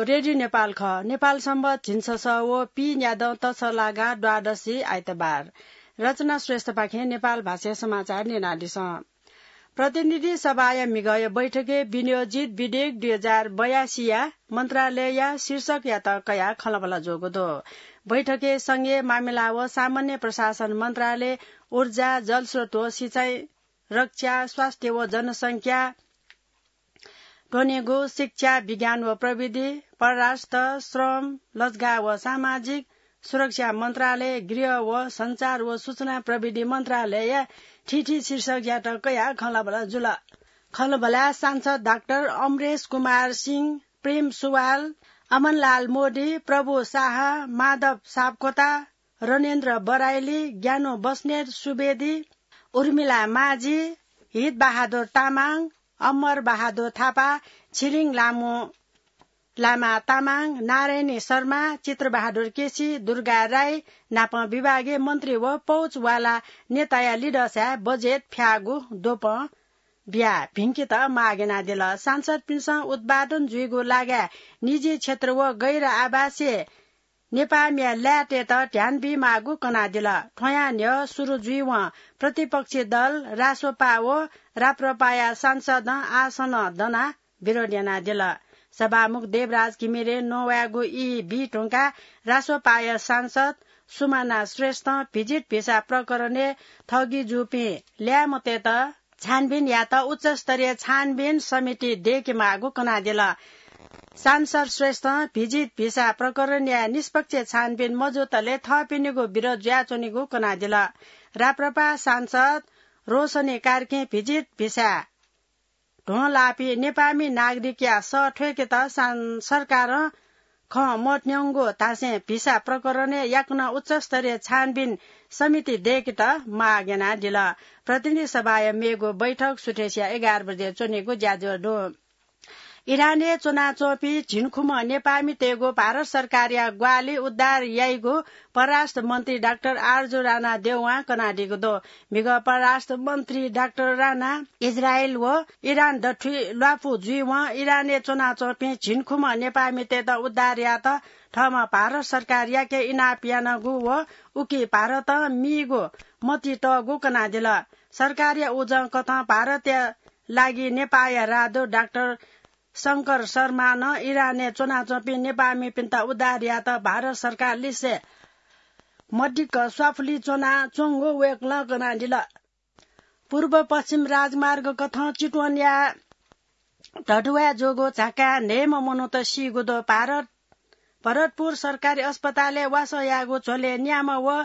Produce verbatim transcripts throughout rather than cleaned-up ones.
रेडियो नेपाल खः। नेपाल सम्बत झिंछसः व पीन्यादँ तछलागा द्वादशी आइतबार। रचना श्रेष्ठपाखें नेपाल भाषाया समाचार न्यनादिसँ। प्रतिनिधि सभाया म्हिगःया बैठकय् विनियोजित विधेयक दुई हजार बयासीया मन्त्रालयया शीर्षकयात कयाः खँल्हाबल्हा जूगु दु। बैठकय् संघीय मामिला व सामान्य प्रशासन मन्त्रालय, ऊर्जा, जलस्रोत व सिँचाइ, रक्षा, स्वास्थ्य व जनसंख्या, त्वनेगु, शिक्षा, विज्ञान व प्रविधि, परराष्ट्र, श्रम, लजगाः व सामाजिक सुरक्षा मन्त्रालय, गृह व सञ्चार व सूचना प्रविधि मन्त्रालयया थीथी शीर्षकयात कयाः खँल्हाबल्हा जुल। खँल्हाबल्हाय् सांसद डाक्टर अमरेश कुमार सिंह, प्रेम सुवाल, अमनलाल मोदी, प्रभु शाह, माधव सापकोटा, रणेन्द्र बराइली, ज्ञानु बस्नेत सुवेदी, उर्मिला माझी, हित बहादुर तामाङ, अमर बहादुर थापा, छिरिङ लामु, लामा तामाङ, नारायणी शर्मा, चित्रबहादुर केसी, दुर्गा राई नापं विभागीय मन्त्री व पौचवाला नेताया लिधःसाय् बजेट फ्याःगु द्वपं बियाः भिंकेत माग यानादिल। सांसदपिन्सं उत्पादन जुइगु लागाय् निजी क्षेत्र व गैर आवासीय नेपाःमिया ल्याय्‌तय्‌त ध्यान बीमाःगु कनादिल। थ्वयां न्ह्यः सुरु जुइवं प्रतिपक्षी दल रासोपा व राप्रपाया सांसदं आसनं दनाः विरोध यानादिल। सभामुख देवराज घिमिरे नवायेगु ई बी धुंकाः रासोपाया सांसद सुमाना श्रेष्ठं भिजिट भिसा प्रकरणय् ठगी जूपिं ल्याय्‌म्हतय्‌त छानबिन यायेत उच्चस्तरीय छानबिन समिति दय्‌केमाःगु कनादिल। सांसद श्रेष्ठं भिजिट भिसा प्रकरणया निष्पक्ष छानबिन मजुतले थःपिनिगु विरोध जुयाच्वनीगु कनादिल। राप्रपा सांसद रोशनी कार्कीं भिजिट भिसा ध्वं लाःपिं नेपाःमि नागरिकया सः थ्वय्‌केत सां-, सरकारं खँ मत्यंगु धासें भिसा प्रकरणय् याकनं उच्चस्तरीय छानबिन समिति दय्‌केत माग यानादिल। प्रतिनिधि सभाया मेगु बैठक सुथसिया एघार बजे च्वनीगु ज्याझ्वः दु। इरानय् च्वनाच्वंपिं झिंखुम्ह नेपाःमितय्‌गु भारत सरकारया ग्वाहालि उद्धार याइगु परराष्ट्र मन्त्री डाक्टर आरजु राणा देउवां कनादीगु दु। म्हिगः परराष्ट्र मन्त्री डाक्टर राणा इजरायल व इरान दथुइ ल्वापु जुइवं इरानय् च्वनाच्वंपिं झिंखुम्ह नेपाःमितय्‌त उद्धार यायेत थःम्हं भारत सरकारयाके इनाप यानागु व उकी भारतं मीगु मतिइ तःगु कनादिल। सरकारया उजं कथं भारतया लागि नेपाःया राजदूत डाक्टर शंकर शर्मां नं इरानय् च्वनाच्वंपिं नेपाःमिपिन्त उद्धार यायेत भारत सरकारलिसे मदिक्क स्वाफुलि च्वनाच्वंगु वय्‌कलं कनादिल। पूर्व पश्चिम राजमार्ग कथं चितवनया धडुवाय् जूगु झाकाय् न्हय्‌म्ह मनूत सीगु दु। भारत, भरतपुर सरकारी अस्पतालय् वासः याःगु झ्वलय् न्याम्ह व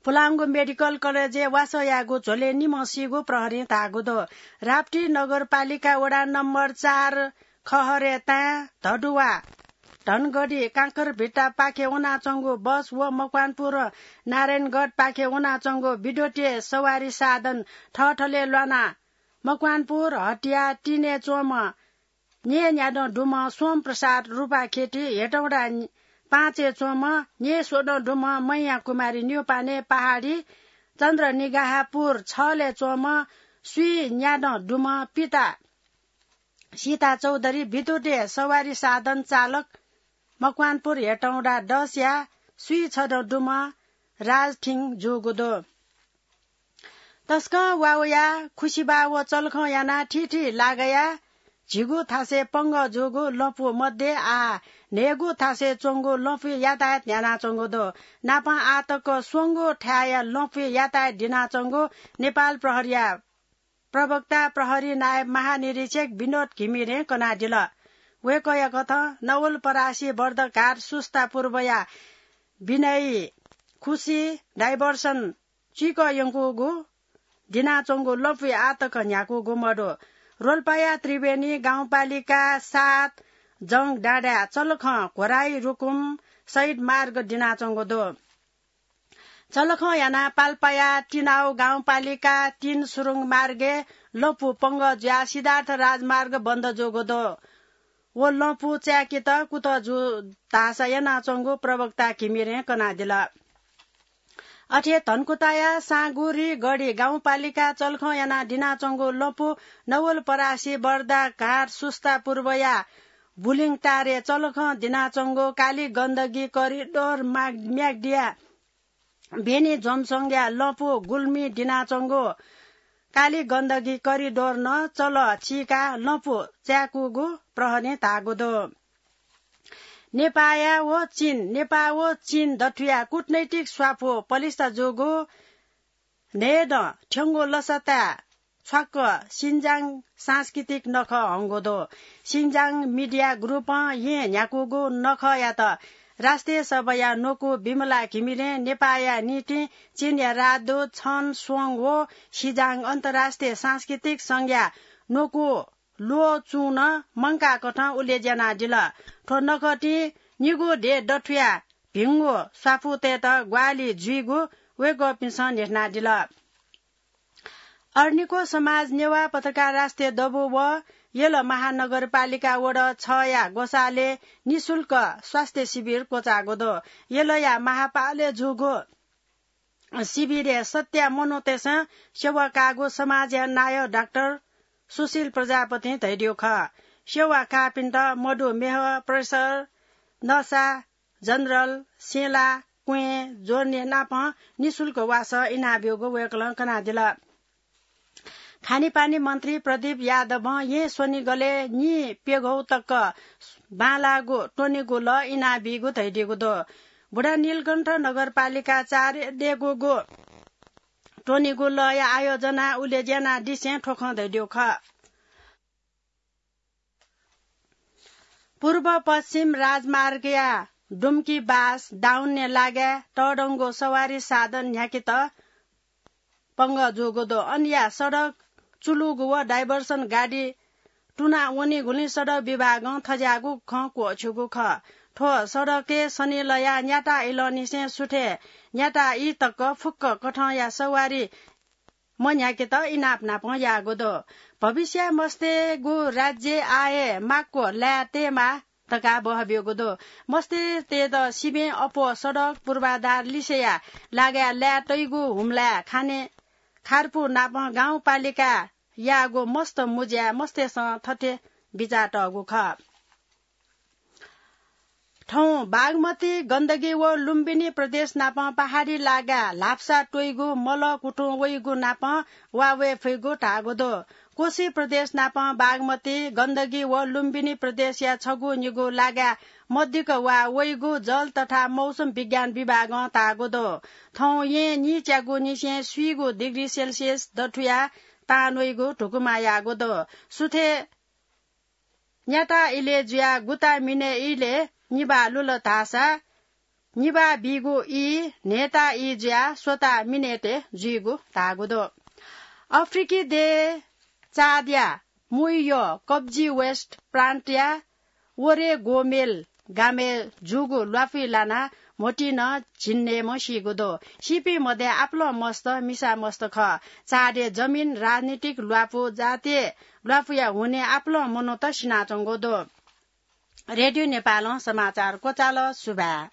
पुलांगु मेडिकल कलेजय् वासः याःगु झ्वलय् निम्ह सीगु प्रहरीं धाःगु दु। राप्ती नगरपालिका वडा नम्बर चार खहरे ताँय् धडुवा धनगढी काँकरभिट्टापाखे वनाच्वंगु बस व मकवानपुर नारायणगढपाखे वनाच्वंगु विद्युतीय सवारी साधन थःथलय् ल्वानाः मकवानपुर हटिया तीनय् च्वंम्ह न्यय् न्यादँ दुम्ह सोम प्रसाद रुपाखेति हेटौँडा पाँचय् च्वंम्ह न्यय् स्वदँ दुम्ह मैया कुमारी न्यौपाने पहाडी चन्द्रनिगाहापुर छलय् च्वंम्ह स्वीन्यादँ दुम्ह पिता सीता चौधरी विद्युतीय सवारी साधन चालक मकवानपुर हेटौँडा दसया स्वीछदँ दुम्ह राजथिङ जूगु दु। तसकं वावया खुसिबा व चलखं यानाः थीथी लागाया झिगू थासय् पंगः जूगु लँपु मध्ये आः न्हय्‌गू थासय् च्वंगु लँपुइ यातायात न्ह्यानाच्वंगु दु। नापं आः तक स्वंगू थाय्‌या लँपुइ यातायात दिनाच्वंगु नेपाल प्रहरीया प्रवक्ता प्रहरी नायब महानिरीक्षक विनोद घिमिरें कनादिल। वय्‌कःया कथं नवलपरासी बर्दघाट सुस्ता पूर्वया विनयी खुसी डाइभर्सन चुइकः यंकूगु दिनाच्वंगु लँपुइ आः तक न्ह्याकूगु मदु। रोल्पाया त्रिवेणी गाउँपालिका सात जंगडाँडाय् चलखं घोराइ रुकुम सहित मार्ग दिनाच्वंगु दु। चलखं यानाः पाल्पाया तिनाउ गाउँपालिका तीन सुरुङ मार्गय् लँपु पंगः जुयाः सिद्धार्थ राजमार्ग बन्द जूगु दु। व लँपु चाय्‌केत कुतः जू धाःसा यानाच्वंगु प्रवक्ता घिमिरें कनादिल। अथे धनकुटाया साँगुरी गढी गाउँपालिका चलखं यानाः दिनाच्वंगु लँपु नवलपरासी बर्दा घाट सुस्ता पूर्वया बुलिङ टारे चलखं दिनाच्वंगु काली गण्डकी करिडोर माग-, म्याग्दिया भेनी जोमसोंगया लँपु गुल्मी दिनाच्वंगु काली गण्डकी करिडोर नं चलः चीकाः लँपु चाय्‌कूगु प्रहरीं धाःगु दु। नेपाःया व चीन, नेपाः व चीन दथुया कूटनैतिक स्वापू पलिस्था जूगु न्हय्दँ थ्यंगु लसताय् छ्वाक्क सिन्जाङ सांस्कृतिक नखः हंगु दु। सिन्जाङ मिडिया ग्रुपं येँ न्ह्याकूगु नखःयात राष्ट्रिय सभाया न्वकू विमला घिमिरें नेपाःया निंतिं चीनया राजदूत छन स्वङ व सिजाङ अन्तर्राष्ट्रिय सांस्कृतिक संघया न्वकू ल्वःचुं नं मंकाकथं उलेज्यानादिल। थ्व नखःतिं निगू देय् दथुया भिंगु स्वापूतय्‌त ग्वाहालि जुइगु वय्‌कःपिन्सं न्ह्यथनादिल। अर्निको समाज नेवाः पत्रकार राष्ट्रिय दबू व यल महानगरपालिका वडा छया ग्वसालय् निशुल्क स्वास्थ्य शिविर क्वचाःगु दु। यलया महापालय् जूगु शिविरय् सत्या मनूतय्‌सं सेवा काःगु समाजया नायः डाक्टर सुशील प्रजापतिं धयादीगु खः। सेवा काःपिन्त मधुमेह, प्रेसर, नसा, जनरल, सेला, क्वें, ज्वरय् नापं निशुल्क वासः इनाब्यूगु वय्‌कलं कनादिल। खानेपानी मन्त्री प्रदीप यादवं येँ स्वनिगलय् नीप्यघौ तक बांलाःगु त्वनेगु लः इनाबीगु धयादीगु दु। बुढानीलकण्ठ नगरपालिका चार देगूगु त्वनेगु लःया आयोजना उलेज्यानादिसें थ्व खँ धयादीगु खः। पूर्व पश्चिम राजमार्गया डुम्की बास दाउन्ने लागाय् तःधंगु सवारी साधन न्ह्याकेत पंगः जूगु दु। अनया सडक चुलुगु व डाइभर्सन गाडी तुना वनीगुलिं सडक विभागं थज्याःगु खँ क्वःछ्यूगु खः। थ्व सडकय् सनिलया न्याता इलंनिसें सुथय् न्याता ई तक फुक्क कथंया सवारी मन्ह्याकेत इनाप नापं याःगु दु। भविष्यय् मस्तय्‌गु राज्यय् आः हे माक्व लाये तयेमाः धकाः बहब्यूगु दु। मस्तय्‌तय्‌त सिबें अप्वः सडक पूर्वाधार लिसेया लागाय् लाये तइगु हुम्लाय् खाने खारपु नापं गाउँपालिकां याःगु मस्त मुँज्याय् मस्तय्‌सं थथे बिचातःगु खः। थौं बागमती, गण्डकी व लुम्बिनी प्रदेश नापं पहाडी लागाय् ल्हापसा त्वइगु मलः कुतुं वइगु नापं वा वये फइगु धाःगु दु। कोशी प्रदेश नापं बागमती, गण्डकी व लुम्बिनी प्रदेशया छगू निगू लागाय् मदिक्क वा वइगु जल तथा मौसम विज्ञान विभागं धाःगु दु। थौं येँ नीच्यागुनिसें स्वीगू डिग्री सेल्सियस दथुया तान वइगु धुकुमा याःगु दु। सुथय् न्याता इलय् जुयाः गुता मिनय् इलय् निभाः लुल धाःसा निभाः बीगु ई न्हय्ता ई जुयाः स्वता मिनय्‌तय् जुइगु धाःगु दु। अफ्रिकी देय् चाडया मुइय् कब्जी वेस्ट प्रान्तया ओरे गोमेल गामय् जूगु ल्वापुइ लानाः म्होतिं नं झिंन्हय्‌म्ह सीगु दु। सीपिं मध्ये आपालं मस्त मिसा मस्त खः। चाडय् जमिन, राजनीतिक ल्वापु, जातीय ल्वापुया हुनिं आपालं मनूत सिनाच्वंगु दु। रेडियो नेपालं समाचार क्वचाल। सुभाय्।